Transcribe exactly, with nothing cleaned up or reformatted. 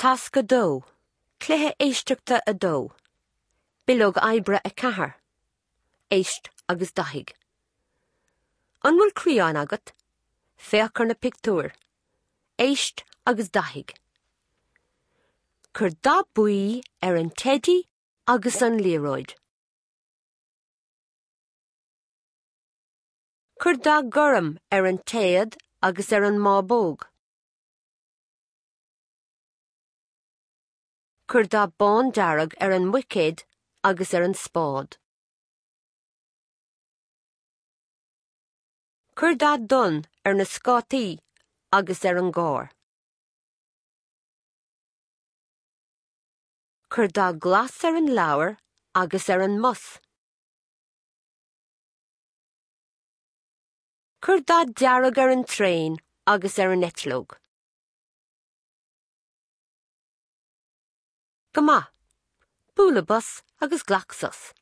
Tasc a dó, Cluiche éisteachta a dó, Bileog oibre a ceathair, Éist agus dathaigh. An bhfuil criáin agat? Féach ar na pictiúir. Éist agus dathaigh. Cuir dath buí ar an teidí agus an liathróid. Cuir dath gorm ar an téad agus ar an mbábóg. Cuir dath bándearg ar an mbuicéad agus ar an spád. Cuir dath donn ar na scátaí agus ar an gcarr. Cuir dath glas ar an leabhar agus ar an mbus. Cuir dath dearg ar an traein agus ar an eitleog. Go maith. Bualadh bos agus glac sos.